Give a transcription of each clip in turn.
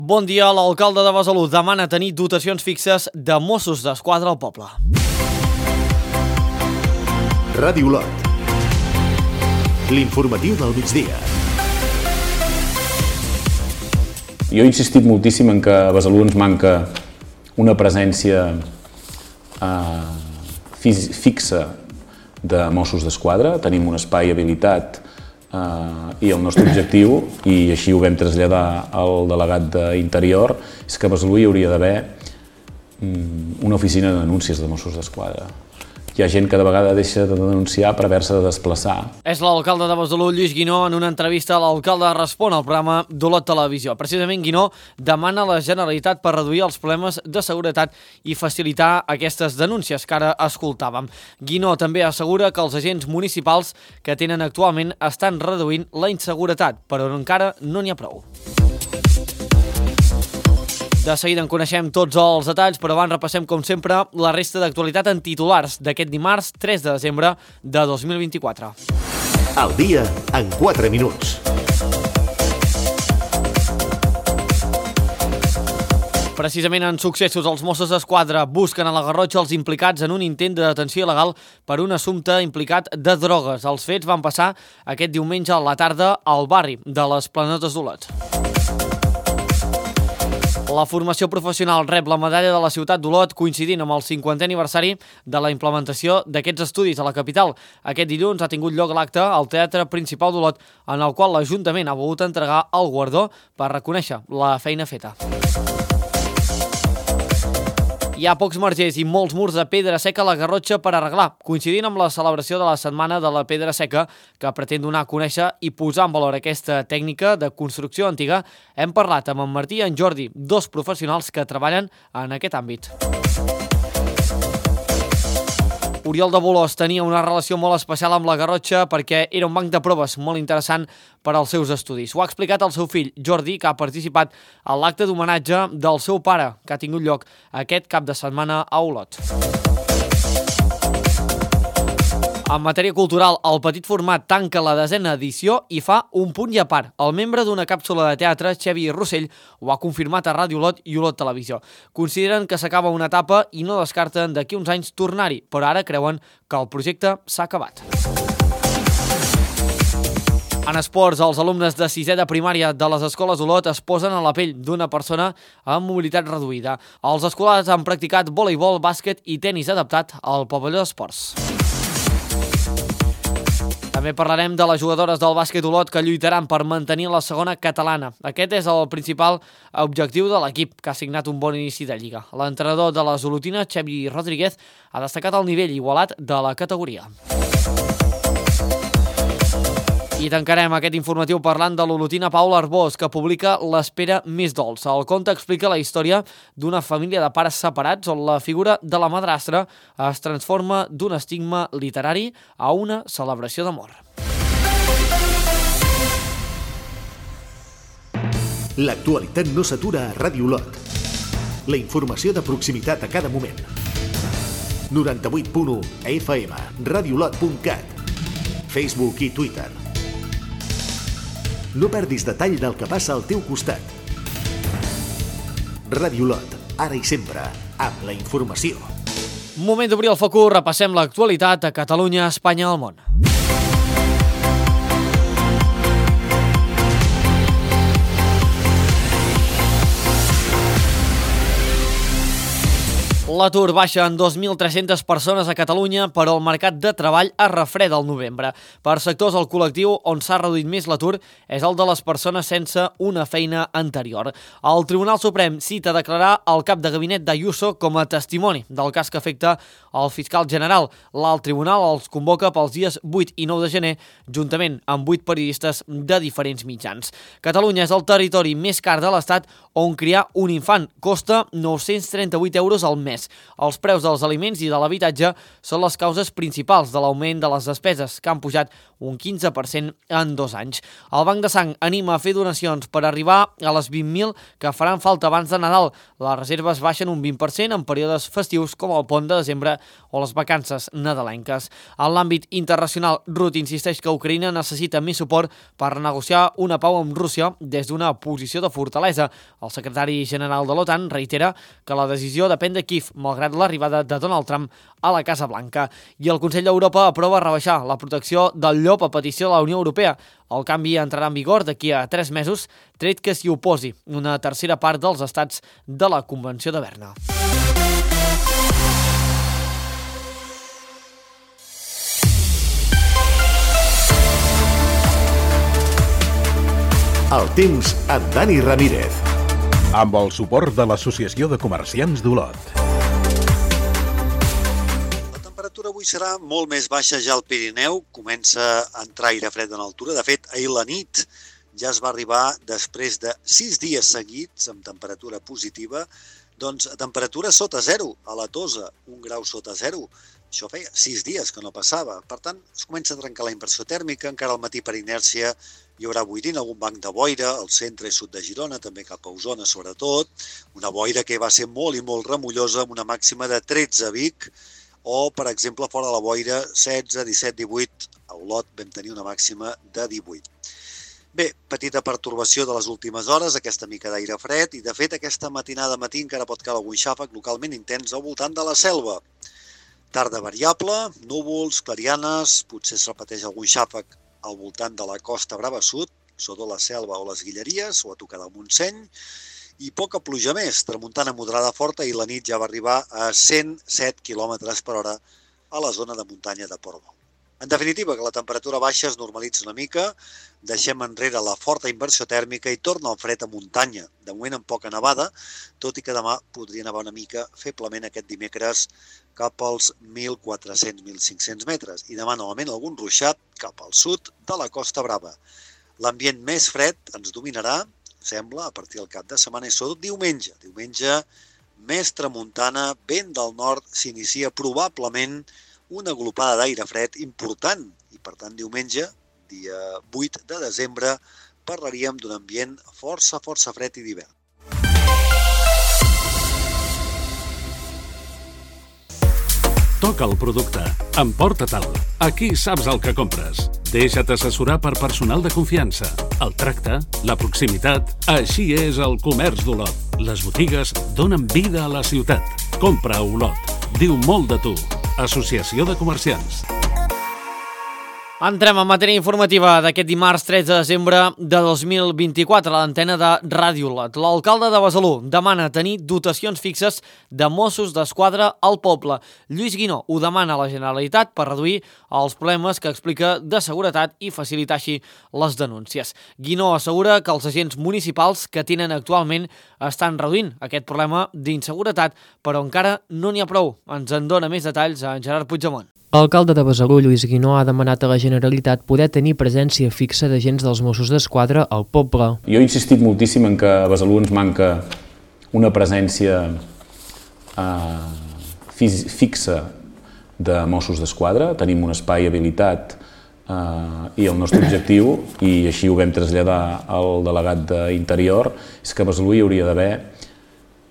Bon dia, l'alcalde de Besalú demana tenir dotacions fixes de Mossos d'Esquadra al poble. Ràdio Olot. L'informatiu del migdia. Jo he insistit moltíssim en que a Besalú ens manca una presència fixa de Mossos d'Esquadra. Tenim un espai habilitat i el nostre objectiu, i així ho vam traslladar al delegat d'Interior, és que a Besalú hi hauria d'haver una oficina de denúncies de Mossos d'Esquadra. Hi ha gent que de vegada deixa de denunciar per haver-se de desplaçar. És l'alcalde de Besalú, Lluís Guinó, en una entrevista a l'alcalde respon al programa d'Olot Televisió. Precisament Guinó demana a la Generalitat per reduir els problemes de seguretat i facilitar aquestes denúncies que ara escoltàvem. Guinó també assegura que els agents municipals que tenen actualment estan reduint la inseguretat, però encara no n'hi ha prou. De seguida en coneixem tots els detalls, però abans repassem, com sempre, la resta d'actualitat en titulars d'aquest dimarts 3 de desembre de 2024. El dia en 4 minuts. Precisament en successos, els Mossos d'Esquadra busquen a la Garrotxa els implicats en un intent de detenció il·legal per un assumpte implicat de drogues. Els fets van passar aquest diumenge a la tarda al barri de les Planetes d'Olot. La formació professional rep la medalla de la ciutat d'Olot coincidint amb el 50è aniversari de la implementació d'aquests estudis a la capital. Aquest dilluns ha tingut lloc l'acte al Teatre Principal d'Olot, en el qual l'Ajuntament ha volgut entregar el guardó per reconèixer la feina feta. Hi ha pocs margers i molts murs de pedra seca a la Garrotxa per arreglar, coincidint amb la celebració de la Setmana de la Pedra Seca, que pretén donar a conèixer i posar en valor aquesta tècnica de construcció antiga. Hem parlat amb en Martí i en Jordi, dos professionals que treballen en aquest àmbit. Oriol de Bolòs tenia una relació molt especial amb la Garrotxa perquè era un banc de proves molt interessant per als seus estudis. Ho ha explicat el seu fill, Jordi, que ha participat a l'acte d'homenatge del seu pare, que ha tingut lloc aquest cap de setmana a Olot. En matèria cultural, el petit format tanca la 10a edició i fa un punt i a part. El membre d'una càpsula de teatre, Xavi Rossell, ho ha confirmat a Ràdio Olot i Olot Televisió. Consideren que s'acaba una etapa i no descarten d'aquí uns anys tornar-hi, però ara creuen que el projecte s'ha acabat. En esports, els alumnes de 6è de primària de les escoles Olot es posen a la pell d'una persona amb mobilitat reduïda. Els escolars han practicat voleibol, bàsquet i tenis adaptat al pavelló d'esports. També parlarem de les jugadores del bàsquet Olot que lluitaran per mantenir la segona catalana. Aquest és el principal objectiu de l'equip, que ha signat un bon inici de lliga. L'entrenador de les olotines, Xavi Rodríguez, ha destacat el nivell igualat de la categoria. I tancarem aquest informatiu parlant de l'olotina Paula Arbós, que publica L'espera més dolça. El conte explica la història d'una família de pares separats on la figura de la madrastra es transforma d'un estigma literari a una celebració d'amor. L'actualitat no s'atura a Ràdio Olot. La informació de proximitat a cada moment. 98.1 FM, radioolot.cat, Facebook i Twitter. No perdis detall del que passa al teu costat. Ràdio Olot, ara i sempre, amb la informació. Moment d'obrir el focus, repassem l'actualitat a Catalunya, Espanya i el món. L'atur baixa en 2.300 persones a Catalunya, però el mercat de treball es refreda al novembre. Per sectors, el col·lectiu on s'ha reduït més l'atur és el de les persones sense una feina anterior. El Tribunal Suprem cita declarar el cap de gabinet d'Ayuso com a testimoni del cas que afecta el fiscal general. L'alt tribunal els convoca pels dies 8 i 9 de gener, juntament amb 8 periodistes de diferents mitjans. Catalunya és el territori més car de l'Estat on criar un infant costa 938 euros al mes. Els preus dels aliments i de l'habitatge són les causes principals de l'augment de les despeses, que han pujat un 15% en 2 anys. El Banc de Sang anima a fer donacions per arribar a les 20.000 que faran falta abans de Nadal. Les reserves baixen un 20% en períodes festius com el pont de desembre o les vacances nadalenques. En l'àmbit internacional, Rutte insisteix que Ucraïna necessita més suport per negociar una pau amb Rússia des d'una posició de fortalesa. El secretari general de l'OTAN reitera que la decisió depèn de Kiev, malgrat l'arribada de Donald Trump a la Casa Blanca. I el Consell d'Europa aprova rebaixar la protecció del llop a petició de la Unió Europea. El canvi entrarà en vigor d'aquí a 3 mesos, tret que s'hi oposi una tercera part dels estats de la Convenció de Berna. El temps amb Dani Ramírez. Amb el suport de l'Associació de Comerciants d'Olot. La temperatura avui serà molt més baixa ja al Pirineu. Comença a entrar aire fred en altura. De fet, ahir la nit ja es va arribar, després de 6 dies seguits amb temperatura positiva, doncs a temperatura sota zero, a la Tosa, 1 grau sota zero. Això feia 6 dies que no passava. Per tant, es comença a trencar la inversió tèrmica. Encara al matí per inèrcia hi haurà boirina, algun banc de boira, al centre i sud de Girona, també cap a Osona sobretot. Una boira que va ser molt i molt remullosa, amb una màxima de 13 a Vic, o, per exemple, fora de la boira, 16, 17, 18. A Olot vam tenir una màxima de 18. Bé, petita pertorbació de les últimes hores, aquesta mica d'aire fred, i de fet aquesta matinada matí encara pot caure algun xàfec localment intens al voltant de la Selva. Tarda variable, núvols, clarianes, potser es repeteix algun xàfec al voltant de la Costa Brava Sud, sobretot la Selva o les Guilleries, o a tocar del Montseny, i poca pluja més, tramuntana moderada forta, i la nit ja va arribar a 107 km per hora a la zona de muntanya de Portbou. En definitiva, que la temperatura baixa es normalitza una mica, deixem enrere la forta inversió tèrmica i torna el fred a muntanya, de moment amb poca nevada, tot i que demà podria nevar una mica feblement aquest dimecres cap als 1.400-1.500 metres, i demà novament algun ruixat cap al sud de la Costa Brava. L'ambient més fred ens dominarà, sembla, a partir del cap de setmana i sobretot diumenge. Diumenge, més tramuntana, vent del nord, s'inicia probablement una glopada d'aire fred important, i per tant diumenge, dia 8 de desembre, parlaríem d'un ambient força fred i d'hivern. Toca el producte. Emporta-te'l. Aquí saps el que compres. Deixa't assessorar per personal de confiança. El tracte, la proximitat, així és el comerç d'Olot. Les botigues donen vida a la ciutat. Compra a Olot. Diu molt de tu. Associació de Comerciants. Entrem en matèria informativa d'aquest dimarts 13 de desembre de 2024 a l'antena de Ràdio Olot. L'alcalde de Besalú demana tenir dotacions fixes de Mossos d'Esquadra al poble. Lluís Guinó ho demana a la Generalitat per reduir els problemes que explica de seguretat i facilitar així les denúncies. Guinó assegura que els agents municipals que tenen actualment estan reduint aquest problema d'inseguretat, però encara no n'hi ha prou. Ens en dona més detalls a Gerard Puigdemont. L'alcalde de Besalú, Lluís Guinó, ha demanat a la Generalitat poder tenir presència fixa d'agents dels Mossos d'Esquadra al poble. Jo he insistit moltíssim en que a Besalú ens manca una presència fixa de Mossos d'Esquadra. Tenim un espai habilitat i el nostre objectiu, i així ho vam traslladar al delegat d'Interior, és que a Besalú hi hauria d'haver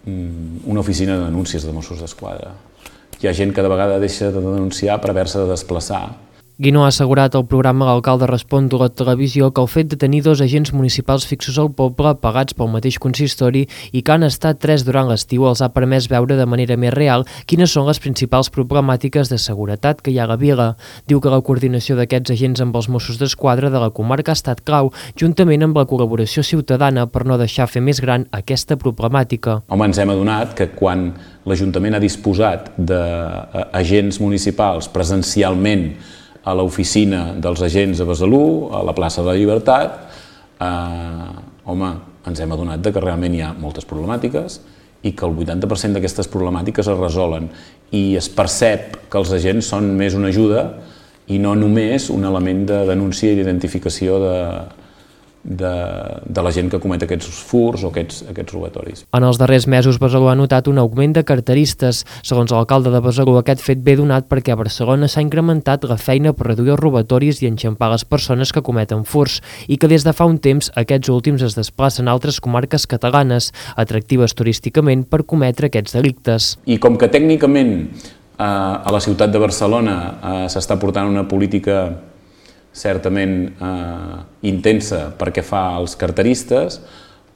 una oficina de denúncies de Mossos d'Esquadra. Hi ha gent que de vegada deixa de denunciar per haver-se de desplaçar. Guinó ha assegurat al programa L'Alcalde Respon d'Olot Televisió que el fet de tenir 2 agents municipals fixos al poble, pagats pel mateix consistori i que han estat 3 durant l'estiu, els ha permès veure de manera més real quines són les principals problemàtiques de seguretat que hi ha a la vila. Diu que la coordinació d'aquests agents amb els Mossos d'Esquadra de la comarca ha estat clau, juntament amb la col·laboració ciutadana per no deixar fer més gran aquesta problemàtica. Home, ens hem adonat que quan l'Ajuntament ha disposat d'agents municipals presencialment a l'oficina dels agents a Besalú, a la plaça de la Llibertat, ens hem adonat que realment hi ha moltes problemàtiques i que el 80% d'aquestes problemàtiques es resolen, i es percep que els agents són més una ajuda i no només un element de denúncia i d'identificació de la gent que comet aquests furs o aquests robatoris. En els darrers mesos, Besalú ha notat un augment de carteristes. Segons l'alcalde de Besalú, aquest fet ve donat perquè a Barcelona s'ha incrementat la feina per reduir els robatoris i enxampar les persones que cometen furs i que des de fa un temps aquests últims es desplacen a altres comarques catalanes, atractives turísticament per cometre aquests delictes. I com que tècnicament a la ciutat de Barcelona s'està portant una política certament intensa perquè fa als carteristes,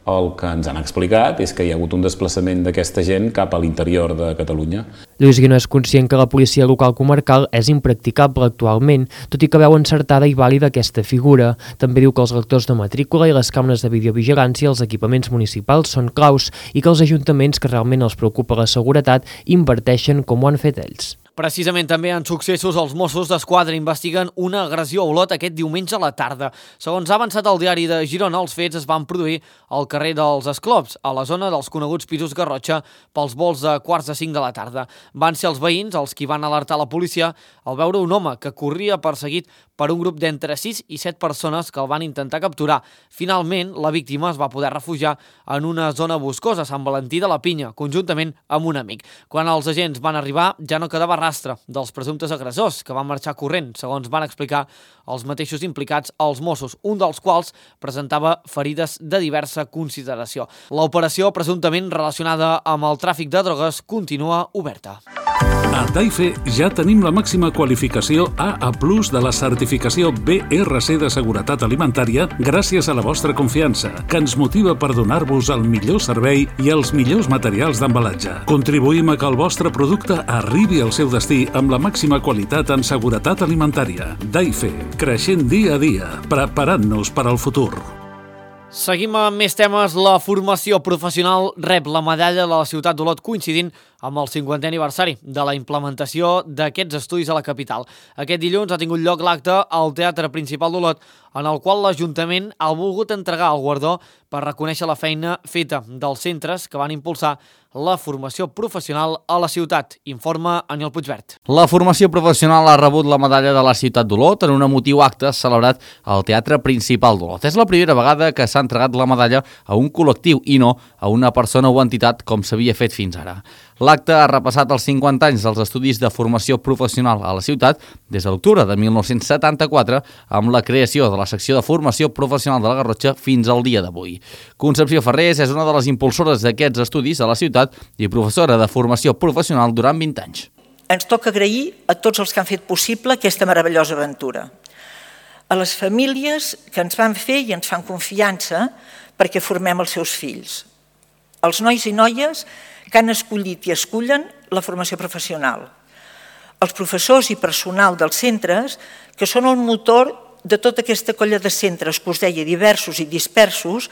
el que ens han explicat és que hi ha hagut un desplaçament d'aquesta gent cap a l'interior de Catalunya. Lluís Guinó és conscient que la policia local comarcal és impracticable actualment, tot i que veu encertada i vàlida aquesta figura. També diu que els lectors de matrícula i les càmeres de videovigilància als equipaments municipals són claus i que els ajuntaments que realment els preocupa la seguretat inverteixen com ho han fet ells. Precisament també en successos, els Mossos d'Esquadra investiguen una agressió a Olot aquest diumenge a la tarda. Segons ha avançat el diari de Girona, els fets es van produir al carrer dels Esclops, a la zona dels coneguts pisos Garrotxa, pels vols de 4:45 de la tarda. Van ser els veïns els qui van alertar la policia al veure un home que corria perseguit per un grup d'entre 6 i 7 persones que el van intentar capturar. Finalment, la víctima es va poder refugiar en una zona boscosa a Sant Valentí de la Pinya, conjuntament amb un amic. Quan els agents van arribar, ja no quedava rastre dels presumptes agressors, que van marxar corrent, segons van explicar els mateixos implicats als Mossos, un dels quals presentava ferides de diversa consideració. L'operació, presumptament relacionada amb el tràfic de drogues, continua oberta. A Daife ja tenim la màxima qualificació AA+ de la certificació BRC de seguretat alimentària gràcies a la vostra confiança, que ens motiva per donar-vos el millor servei i els millors materials d'embalatge. Contribuïm a que el vostre producte arribi al seu destí amb la màxima qualitat en seguretat alimentària. Daife, creixent dia a dia, preparant-nos per al futur. Seguim amb més temes. La formació professional rep la medalla de la ciutat d'Olot coincidint amb el 50è aniversari de la implementació d'aquests estudis a la capital. Aquest dilluns ha tingut lloc l'acte al Teatre Principal d'Olot, en el qual l'Ajuntament ha volgut entregar el guardó per reconèixer la feina feta dels centres que van impulsar la formació professional a la ciutat, informa Aniol Puigvert. La formació professional ha rebut la medalla de la ciutat d'Olot en un emotiu acte celebrat al Teatre Principal d'Olot. És la primera vegada que s'ha entregat la medalla a un col·lectiu i no a una persona o entitat com s'havia fet fins ara. L'acte ha repassat els 50 anys dels estudis de formació professional a la ciutat des de l'octubre de 1974 amb la creació de la secció de formació professional de la Garrotxa fins al dia d'avui. Concepció Ferrés és una de les impulsores d'aquests estudis a la ciutat i professora de formació professional durant 20 anys. Ens toca agrair a tots els que han fet possible aquesta meravellosa aventura. A les famílies que ens van fer i ens fan confiança perquè formem els seus fills. Els nois i noies que han escollit i escullen la formació professional. Els professors i personal dels centres, que són el motor de tota aquesta colla de centres que us deia diversos i dispersos,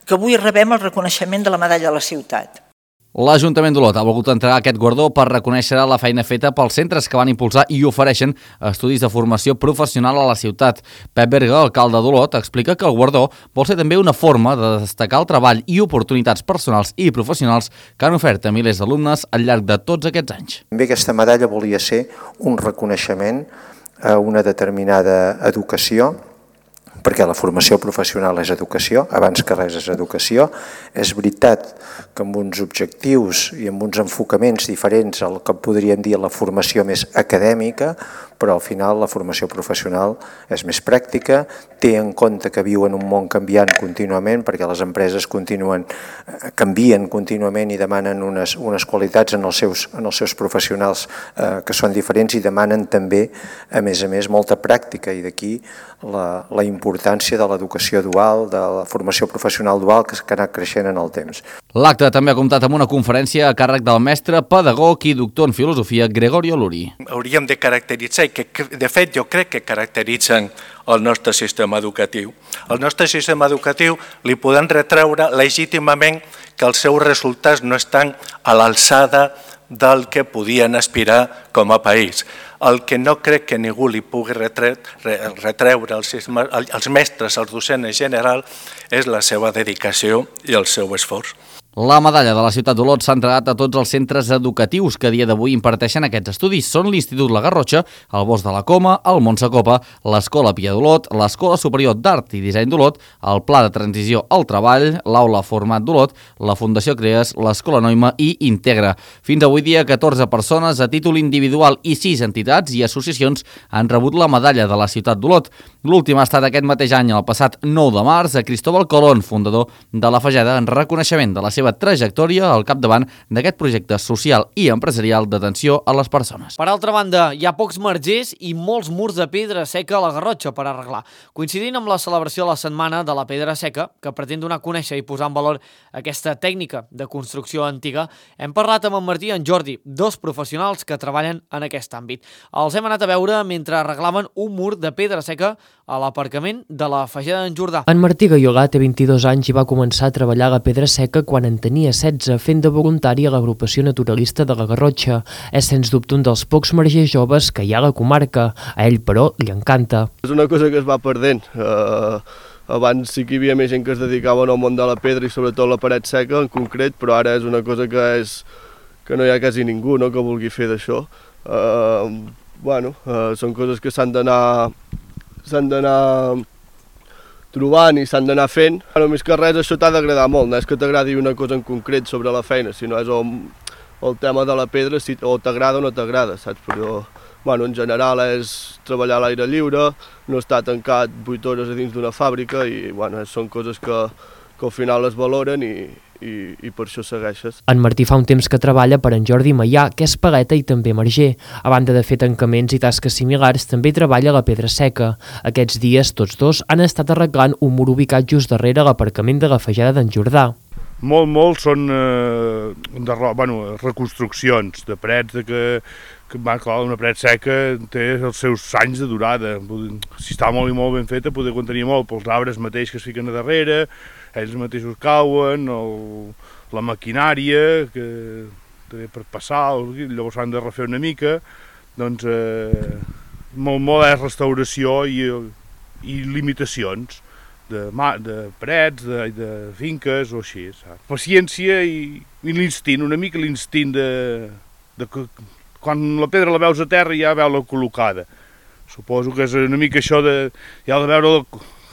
que avui rebem el reconeixement de la medalla de la ciutat. L'Ajuntament d'Olot ha volgut entregar aquest guardó per reconèixer la feina feta pels centres que van impulsar i ofereixen estudis de formació professional a la ciutat. Pep Berga, alcalde d'Olot, explica que el guardó vol ser també una forma de destacar el treball i oportunitats personals i professionals que han ofert a milers d'alumnes al llarg de tots aquests anys. També aquesta medalla volia ser un reconeixement a una determinada educació, perquè la formació professional és educació, abans que res és educació. És veritat que amb uns objectius i amb uns enfocaments diferents al que podríem dir la formació més acadèmica, però al final la formació professional és més pràctica, té en compte que viu en un món canviant contínuament, perquè les empreses canvien contínuament i demanen unes qualitats en els seus professionals que són diferents i demanen també, a més, molta pràctica, i d'aquí la importància de l'educació dual, de la formació professional dual que ha anat creixent en el temps. L'acte també ha comptat amb una conferència a càrrec del mestre, pedagog i doctor en filosofia Gregorio Luri. Hauríem de caracteritzar, i que de fet jo crec que caracteritzen el nostre sistema educatiu. Al nostre sistema educatiu li podem retreure legítimament que els seus resultats no estan a l'alçada del que podien aspirar com a país. El que no crec que ningú li pugui retreure als mestres, als docents en general, és la seva dedicació i el seu esforç. La medalla de la ciutat d'Olot s'ha entregat a tots els centres educatius que a dia d'avui imparteixen aquests estudis. Són l'Institut La Garrotxa, el Bosc de la Coma, el Montsecopa, l'Escola Pia d'Olot, l'Escola Superior d'Art i Disseny d'Olot, el Pla de Transició al Treball, l'Aula Format d'Olot, la Fundació Crees, l'Escola Noima i Integra. Fins avui dia, 14 persones a títol individual i 6 entitats i associacions han rebut la medalla de la ciutat d'Olot. L'últim ha estat aquest mateix any, el passat 9 de març, a Cristóbal Colón, fundador de la Fageda, en reconeixement de la seva trajectòria al capdavant d'aquest projecte social i empresarial d'atenció a les persones. Per altra banda, hi ha pocs margers i molts murs de pedra seca a la Garrotxa per arreglar. Coincidint amb la celebració de la Setmana de la Pedra Seca, que pretén donar a conèixer i posar en valor aquesta tècnica de construcció antiga, hem parlat amb en Martí i en Jordi, dos professionals que treballen en aquest àmbit. Els hem anat a veure mentre arreglaven un mur de pedra seca a l'aparcament de la Fageda d'en Jordà. En Martí Gaiolà té 22 anys i va començar a treballar a la pedra seca quan en tenia 16, fent de voluntari a l'agrupació naturalista de la Garrotxa. És sens dubte un dels pocs margers joves que hi ha a la comarca. A ell, però, li encanta. És una cosa que es va perdent. Abans sí que hi havia més gent que es dedicava al món de la pedra i sobretot la paret seca en concret, però ara és una cosa que no hi ha quasi ningú, no?, que vulgui fer d'això. Són coses que s'han d'anar trobant i s'han d'anar fent. Més que res, això t'ha d'agradar molt, no és que t'agradi una cosa en concret sobre la feina, sinó és el tema de la pedra, si o t'agrada o no t'agrada, saps? Però en general és treballar a l'aire lliure, no estar tancat 8 hores a dins d'una fàbrica i són coses que al final es valoren i per això segueixes. En Martí fa un temps que treballa per en Jordi Maià, que és paleta i també marger. A banda de fer tancaments i tasques similars, també treballa a la pedra seca. Aquests dies, tots dos han estat arreglant un mur ubicat just darrere l'aparcament de la Fageda d'en Jordà. Molt són reconstruccions de parets que una paret seca té els seus anys de durada. Si està molt i molt ben feta, poder contenir molt pels arbres mateix que es fiquen a darrere, ells mateixos cauen, la maquinària que té per passar, llavors s'han de refer una mica, doncs molt és restauració i limitacions de parets, de finques o així. Paciència i l'instint, una mica l'instint de quan la pedra la veus a terra ja veu-la col·locada. Suposo que és una mica això de ja de veure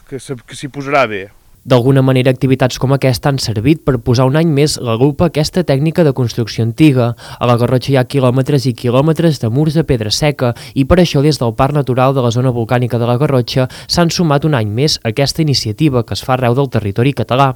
que s'hi posarà bé. D'alguna manera, activitats com aquesta han servit per posar un any més la lupa a aquesta tècnica de construcció antiga. A la Garrotxa hi ha quilòmetres i quilòmetres de murs de pedra seca i per això des del Parc Natural de la Zona Volcànica de la Garrotxa s'han sumat un any més a aquesta iniciativa que es fa arreu del territori català.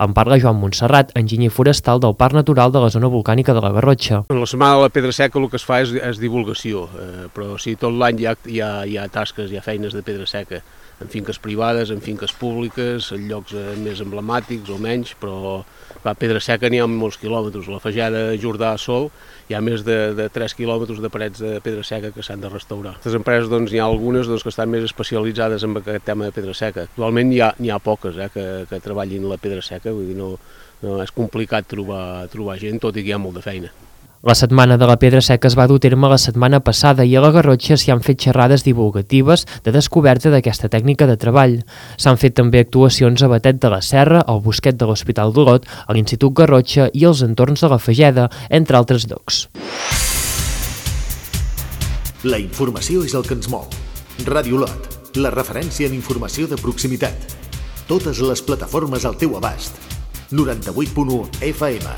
En parla Joan Montserrat, enginyer forestal del Parc Natural de la Zona Volcànica de la Garrotxa. En la Setmana de la Pedra Seca el que es fa és divulgació, però sí, tot l'any hi ha tasques, hi ha feines de pedra seca, en finques privades, en finques públiques, en llocs més emblemàtics o menys, però la pedra seca n'hi ha molts quilòmetres. La Fageda Jordà sol hi ha més de 3 quilòmetres de parets de pedra seca que s'han de restaurar. Les empreses hi ha algunes que estan més especialitzades en aquest tema de pedra seca. Actualment n'hi ha poques que treballin la pedra seca, vull dir, no és complicat trobar gent, tot i que hi ha molt de feina. La Setmana de la Pedra Seca es va dur a terme la setmana passada i a la Garrotxa s'hi han fet xerrades divulgatives de descoberta d'aquesta tècnica de treball. S'han fet també actuacions a Batet de la Serra, al Bosquet de l'Hospital d'Olot, a l'Institut Garrotxa i als entorns de la Fageda, entre altres llocs. La informació és el que ens mou. Ràdio Olot, la referència en informació de proximitat. Totes les plataformes al teu abast. 98.1 FM,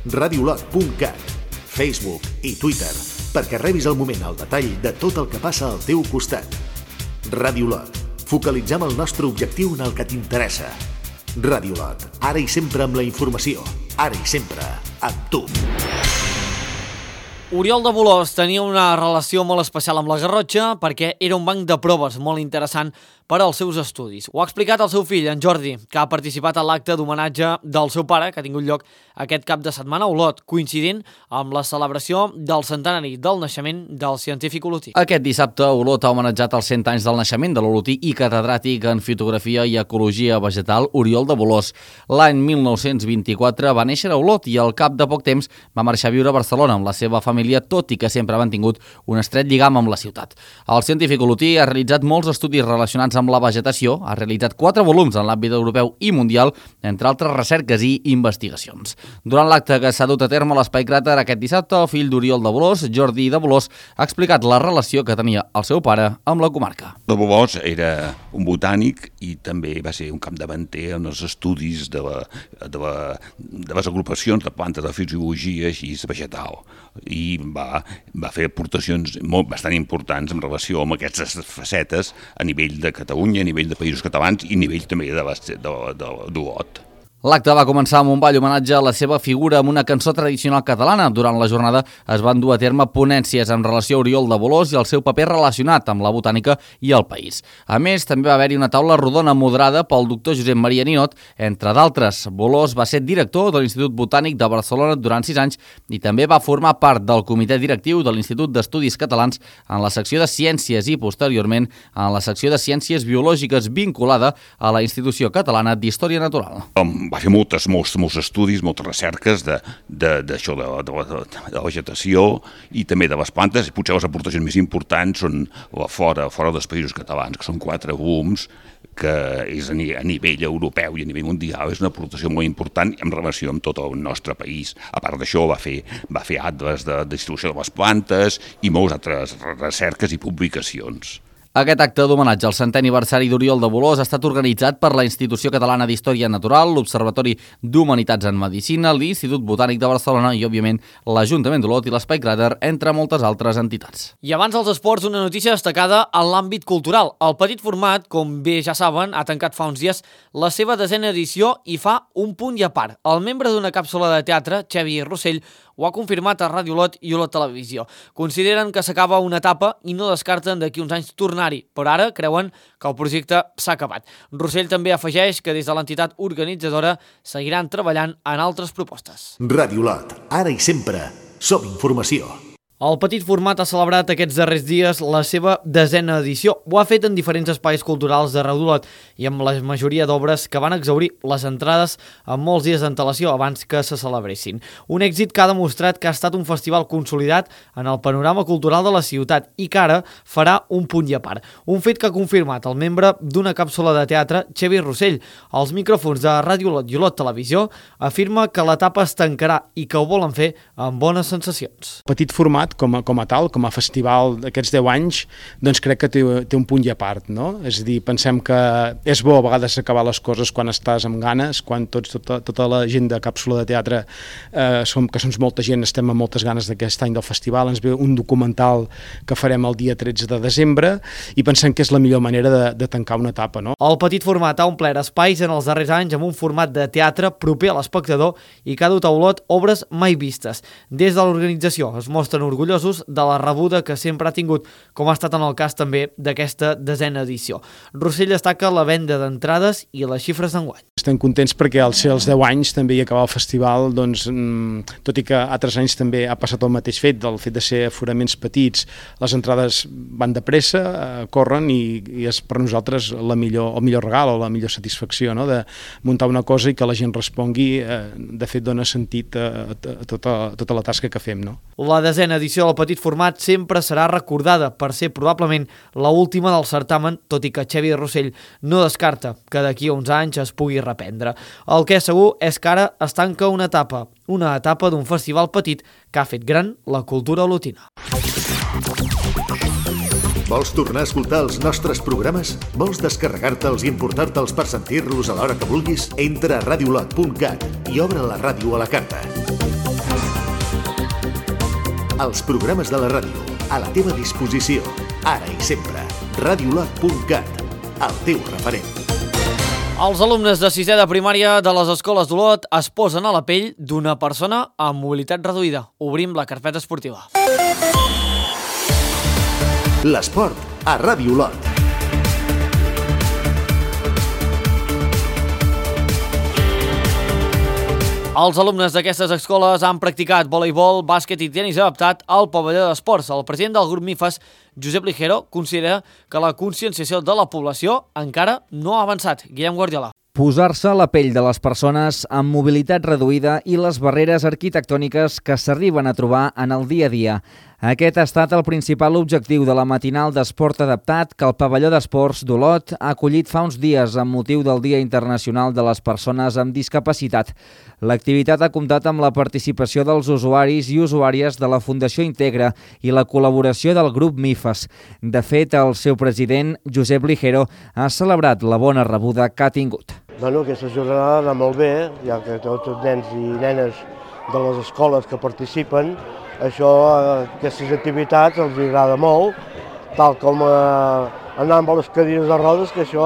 radioolot.cat, Facebook i Twitter, perquè rebis al moment el detall de tot el que passa al teu costat. Ràdio Olot, focalitzem el nostre objectiu en el que t'interessa. Ràdio Olot, ara i sempre amb la informació, ara i sempre amb tu. Oriol de Bolòs tenia una relació molt especial amb la Garrotxa perquè era un banc de proves molt interessant per als seus estudis. Ho ha explicat el seu fill, en Jordi, que ha participat a l'acte d'homenatge del seu pare, que ha tingut lloc aquest cap de setmana a Olot, coincidint amb la celebració del centenari del naixement del científic olotí. Aquest dissabte, Olot ha homenatjat els 100 anys del naixement de l'olotí i catedràtic en fotografia i ecologia vegetal Oriol de Bolòs. L'any 1924 va néixer a Olot i al cap de poc temps va marxar a viure a Barcelona amb la seva família família, tot i que sempre ha mantingut un estret lligam amb la ciutat. El científic olotí ha realitzat molts estudis relacionats amb la vegetació, ha realitzat 4 volums en l'àmbit europeu i mundial, entre altres recerques i investigacions. Durant l'acte que s'ha dut a terme a l'Espai Cràter aquest dissabte, el fill d'Oriol de Bolòs, Jordi de Bolòs, ha explicat la relació que tenia el seu pare amb la comarca. De Bolòs era un botànic i també va ser un capdavanter en els estudis de les agrupacions de plantes de fisiologia així vegetal i va fer aportacions bastant importants en relació amb aquestes facetes a nivell de Catalunya, a nivell de països catalans i a nivell també d'Olot. L'acte va començar amb un ball homenatge a la seva figura amb una cançó tradicional catalana. Durant la jornada es van dur a terme ponències en relació a Oriol de Bolòs i el seu paper relacionat amb la botànica i el país. A més, també va haver-hi una taula rodona moderada pel doctor Josep Maria Ninot. Entre d'altres, Bolòs va ser director de l'Institut Botànic de Barcelona durant 6 anys i també va formar part del comitè directiu de l'Institut d'Estudis Catalans en la secció de Ciències i, posteriorment, en la secció de Ciències Biològiques vinculada a la Institució Catalana d'Història Natural. Va fer molts estudis, moltes recerques d'això, de la vegetació i també de les plantes. Potser les aportacions més importants són fora dels països catalans, que són 4 volums, que és a nivell europeu i a nivell mundial, és una aportació molt important en relació amb tot el nostre país. A part d'això, va fer atles de distribució de les plantes i moltes altres recerques i publicacions. Aquest acte d'homenatge al 100è aniversari d'Oriol de Bolòs ha estat organitzat per la Institució Catalana d'Història Natural, l'Observatori d'Humanitats en Medicina, l'Institut Botànic de Barcelona i, òbviament, l'Ajuntament d'Olot i l'Espai Cràter, entre moltes altres entitats. I abans dels esports, una notícia destacada en l'àmbit cultural. El petit format, com bé ja saben, ha tancat fa uns dies la seva 10a edició i fa un punt i a part. El membre d'una càpsula de teatre, Xavi Rossell, ho ha confirmat a Ràdio Olot i Olot Televisió. Consideren que s'acaba una etapa i no descarten d'aquí uns anys tornar-hi, però ara creuen que el projecte s'ha acabat. Rossell també afegeix que des de l'entitat organitzadora seguiran treballant en altres propostes. Ràdio Olot, ara i sempre, som informació. El petit format ha celebrat aquests darrers dies la seva 10a edició. Ho ha fet en diferents espais culturals d'arreu d'Olot i amb la majoria d'obres que van exhaurir les entrades amb molts dies d'antelació abans que se celebressin. Un èxit que ha demostrat que ha estat un festival consolidat en el panorama cultural de la ciutat i que ara farà un punt i a part. Un fet que ha confirmat el membre d'una càpsula de teatre, Xavi Rossell. Als micròfons de Ràdio Olot i Olot Televisió afirma que l'etapa es tancarà i que ho volen fer amb bones sensacions. Petit format com a tal, com a festival d'aquests 10 anys, doncs crec que té un punt i a part, no? És a dir, pensem que és bo a vegades acabar les coses quan estàs amb ganes, quan tota la gent de càpsula de teatre, que som molta gent, estem amb moltes ganes d'aquest any del festival, ens ve un documental que farem el dia 13 de desembre i pensem que és la millor manera de tancar una etapa, no? El petit format ha omplert espais en els darrers anys amb un format de teatre proper a l'espectador i que ha dut a Olot obres mai vistes. Des de l'organització es mostren orgullosos de la rebuda que sempre ha tingut, com ha estat en el cas també d'aquesta 10a edició. Rossell destaca la venda d'entrades i les xifres d'enguany. Estem contents perquè al ser els 10 anys també hi acabar el festival, doncs, tot i que altres anys també ha passat el mateix fet, del fet de ser aforaments petits, les entrades van de pressa, corren i és per nosaltres el millor regal o la millor satisfacció, no? De muntar una cosa i que la gent respongui, de fet dona sentit a tota la tasca que fem, no? La 10a edició del petit format sempre serà recordada per ser probablement l'última del certamen, tot i que Xavi Rossell no descarta que d'aquí a uns anys es pugui reprendre. El que és segur és que ara es tanca una etapa d'un festival petit que ha fet gran la cultura olotina. Vols tornar a escoltar els nostres programes? Vols descarregar-te'ls i emportar-te'ls per sentir-los a l'hora que vulguis? Entra a radiolot.cat i obre la ràdio a la carta. Els programes de la ràdio, a la teva disposició, ara i sempre. radiolot.cat, el teu referent. Els alumnes de 6è de primària de les escoles d'Olot es posen a la pell d'una persona amb mobilitat reduïda. Obrim la carpeta esportiva. L'esport a Ràdio Olot. Els alumnes d'aquestes escoles han practicat voleibol, bàsquet i tenis adaptat al pavelló d'esports. El president del grup MIFAS, Josep Ligero, considera que la conscienciació de la població encara no ha avançat. Guillem Guardiola. Posar-se a la pell de les persones amb mobilitat reduïda i les barreres arquitectòniques que s'arriben a trobar en el dia a dia. Aquest ha estat el principal objectiu de la matinal d'esport adaptat que el pavelló d'esports d'Olot ha acollit fa uns dies amb motiu del Dia Internacional de les Persones amb Discapacitat. L'activitat ha comptat amb la participació dels usuaris i usuàries de la Fundació Integra i la col·laboració del grup MIFAS. De fet, el seu president, Josep Ligero, ha celebrat la bona rebuda que ha tingut. Aquesta jornada va molt bé, ja que tots els nens i nenes de les escoles que participen, aquestes activitats els agrada molt, tal com anar amb les cadires de rodes, que això,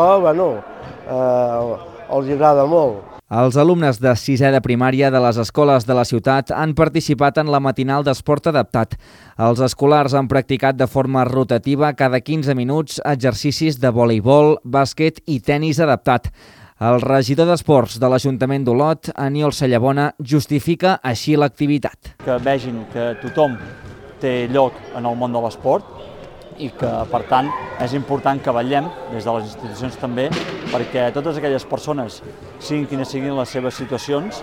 els agrada molt. Els alumnes de 6è de primària de les escoles de la ciutat han participat en la matinal d'esport adaptat. Els escolars han practicat de forma rotativa cada 15 minuts exercicis de voleibol, bàsquet i tenis adaptat. El regidor d'Esports de l'Ajuntament d'Olot, Aniol Sallabona, justifica així l'activitat. Que vegin que tothom té lloc en el món de l'esport i que, per tant, és important que vetllem, des de les institucions també, perquè totes aquelles persones, siguin quines siguin les seves situacions,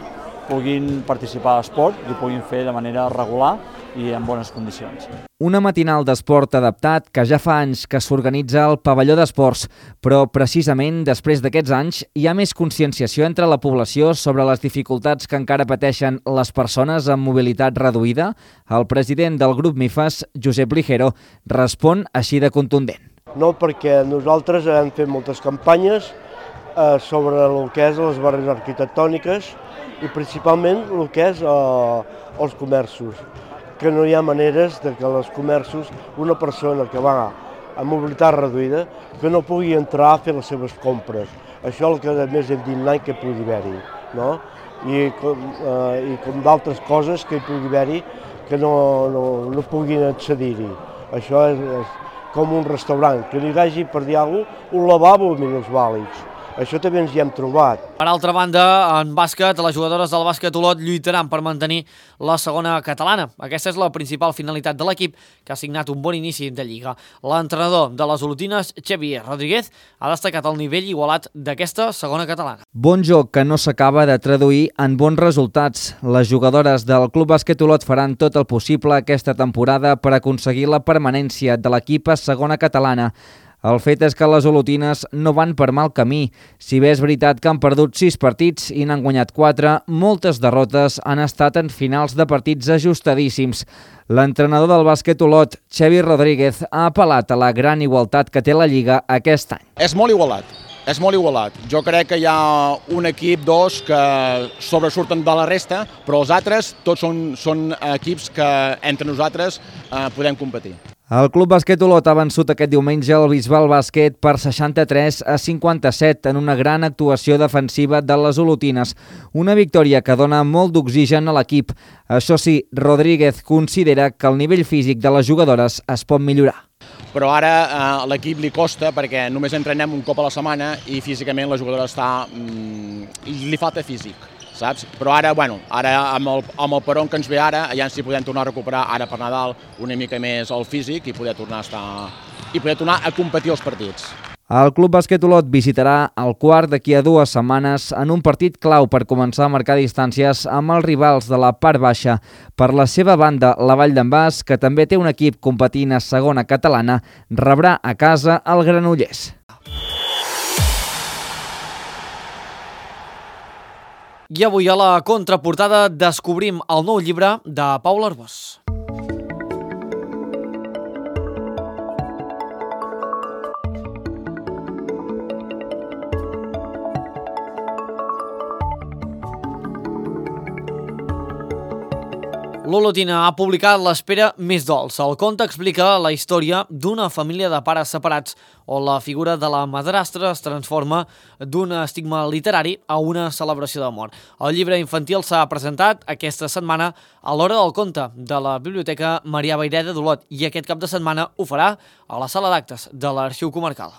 puguin participar a l'esport i ho puguin fer de manera regular i en bones condicions. Una matinal d'esport adaptat que ja fa anys que s'organitza al pavelló d'esports, però precisament després d'aquests anys hi ha més conscienciació entre la població sobre les dificultats que encara pateixen les persones amb mobilitat reduïda. El president del grup MIFAS, Josep Ligero, respon així de contundent. No, perquè nosaltres hem fet moltes campanyes sobre el que és les barreres arquitectòniques i principalment el que és els comerços, que no hi ha maneres de que els comerços, una persona que va amb mobilitat reduïda, que no pugui entrar a fer les seves compres. Això és el que més hem dit l'any que pugui haver-hi, no? I com d'altres coses que hi pugui haver-hi que no puguin accedir-hi. Això és com un restaurant, que li hagi, per dir alguna cosa, un lavabo amb minusvàlids. Això també ens hi hem trobat. Per altra banda, en bàsquet, les jugadores del bàsquet Olot lluitaran per mantenir la segona catalana. Aquesta és la principal finalitat de l'equip, que ha signat un bon inici de Lliga. L'entrenador de les olotines, Xavier Rodríguez, ha destacat el nivell igualat d'aquesta segona catalana. Bon joc que no s'acaba de traduir en bons resultats. Les jugadores del Club Bàsquet Olot faran tot el possible aquesta temporada per aconseguir la permanència de l'equip a segona catalana. El fet és que les olotines no van per mal camí. Si bé és veritat que han perdut 6 partits i n'han guanyat 4, moltes derrotes han estat en finals de partits ajustadíssims. L'entrenador del bàsquet Olot, Xavier Rodríguez, ha apel·lat a la gran igualtat que té la Lliga aquest any. És molt igualat. Jo crec que hi ha un equip, dos, que sobresurten de la resta, però els altres tots són equips que entre nosaltres podem competir. El Club Bàsquet Olot ha vençut aquest diumenge el Bisbal Bàsquet per 63-57 en una gran actuació defensiva de les olotines. Una victòria que dona molt d'oxigen a l'equip. Això sí, Rodríguez considera que el nivell físic de les jugadores es pot millorar. Però ara a l'equip li costa perquè només entrenem un cop a la setmana i físicament la jugadora li falta físic. Saps? Però ara amb el peron que ens ve ara, ja si podem tornar a recuperar ara per Nadal una mica més el físic i poder tornar a competir els partits. El Club Bàsquet Olot visitarà el Quart d'aquí a 2 setmanes en un partit clau per començar a marcar distàncies amb els rivals de la part baixa. Per la seva banda, la Vall d'en Bas, que també té un equip competint a segona catalana, rebrà a casa el Granollers. I avui a la contraportada descobrim el nou llibre de Paula Arbós. L'Olotina ha publicat L'espera més dolça. El conte explica la història d'una família de pares separats on la figura de la madrastra es transforma d'un estigma literari a una celebració d'amor. El llibre infantil s'ha presentat aquesta setmana a l'Hora del Conte de la Biblioteca Marià Vayreda d'Olot i aquest cap de setmana ho farà a la sala d'actes de l'Arxiu Comarcal.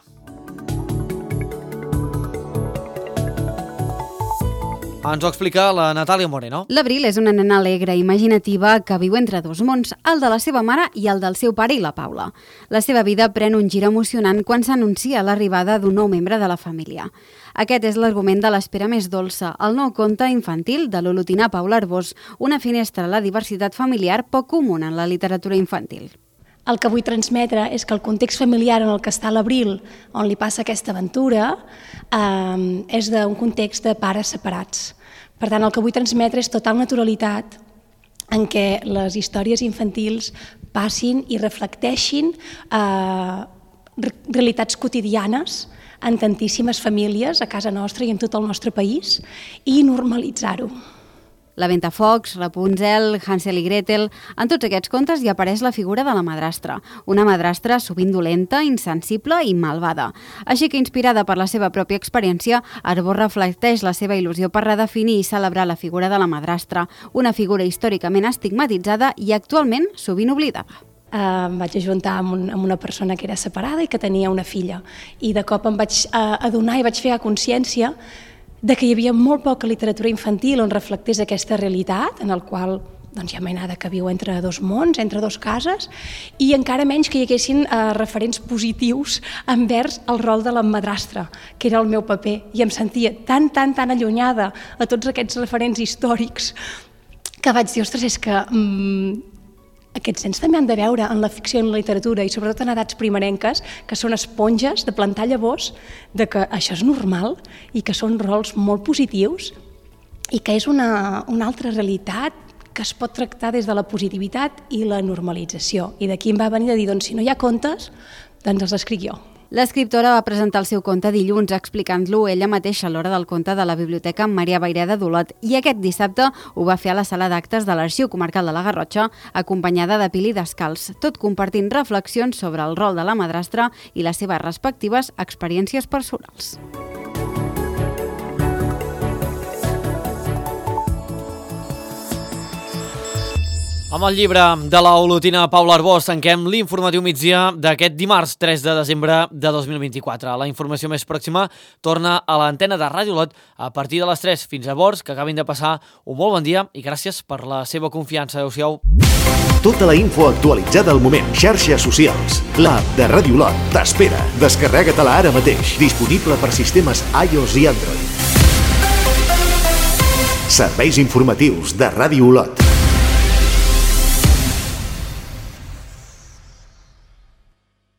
Ens ho explica la Natàlia Moreno. L'Abril és una nena alegre i imaginativa que viu entre dos mons, el de la seva mare i el del seu pare i la Paula. La seva vida pren un gir emocionant quan s'anuncia l'arribada d'un nou membre de la família. Aquest és l'argument de l'espera més dolça, el nou conte infantil de l'olotina Paula Arbós, una finestra a la diversitat familiar poc comuna en la literatura infantil. El que vull transmetre és que el context familiar en el que està l'Abril, on li passa aquesta aventura, és d'un context de pares separats. Per tant, el que vull transmetre és total naturalitat en què les històries infantils passin i reflecteixin realitats quotidianes en tantíssimes famílies a casa nostra i en tot el nostre país i normalitzar-ho. La Ventafocs, Rapunzel, Hansel i Gretel... En tots aquests contes hi apareix la figura de la madrastra, una madrastra sovint dolenta, insensible i malvada. Així que, inspirada per la seva pròpia experiència, Arbós reflecteix la seva il·lusió per redefinir i celebrar la figura de la madrastra, una figura històricament estigmatitzada i actualment sovint oblidada. Em vaig ajuntar amb una persona que era separada i que tenia una filla. I de cop em vaig adonar i vaig fer consciència de que hi havia molt poca literatura infantil on reflectés aquesta realitat, en el qual hi ha mainada que viu entre dos mons, entre dos cases, i encara menys que hi haguessin referents positius envers el rol de la madrastra, que era el meu paper, i em sentia tan allunyada a tots aquests referents històrics que vaig dir, ostres, és que aquests nens també han de veure en la ficció i en la literatura, i sobretot en edats primerenques, que són esponges de plantar llavors, de que això és normal i que són rols molt positius i que és una altra realitat que es pot tractar des de la positivitat i la normalització. I d'aquí em va venir de dir, doncs si no hi ha contes, doncs els escric jo. L'escriptora va presentar el seu conte dilluns explicant-lo ella mateixa a l'hora del conte de la Biblioteca Maria Vayreda d'Olot i aquest dissabte ho va fer a la sala d'actes de l'Arxiu Comarcal de la Garrotxa acompanyada de Pili Descalç, tot compartint reflexions sobre el rol de la madrastra i les seves respectives experiències personals. Amb el llibre de la olotina Paula Arbós tanquem l'informatiu migdia d'aquest dimarts 3 de desembre de 2024. La informació més pròxima torna a l'antena de Ràdio Olot a partir de les 3. Fins llavors, que acabin de passar un molt bon dia i gràcies per la seva confiança. Adéu-siau. Tota la info actualitzada al moment. Xarxes socials. L'app de Ràdio Olot t'espera. Descarrega-te-la ara mateix. Disponible per sistemes iOS i Android. Serveis informatius de Ràdio Olot.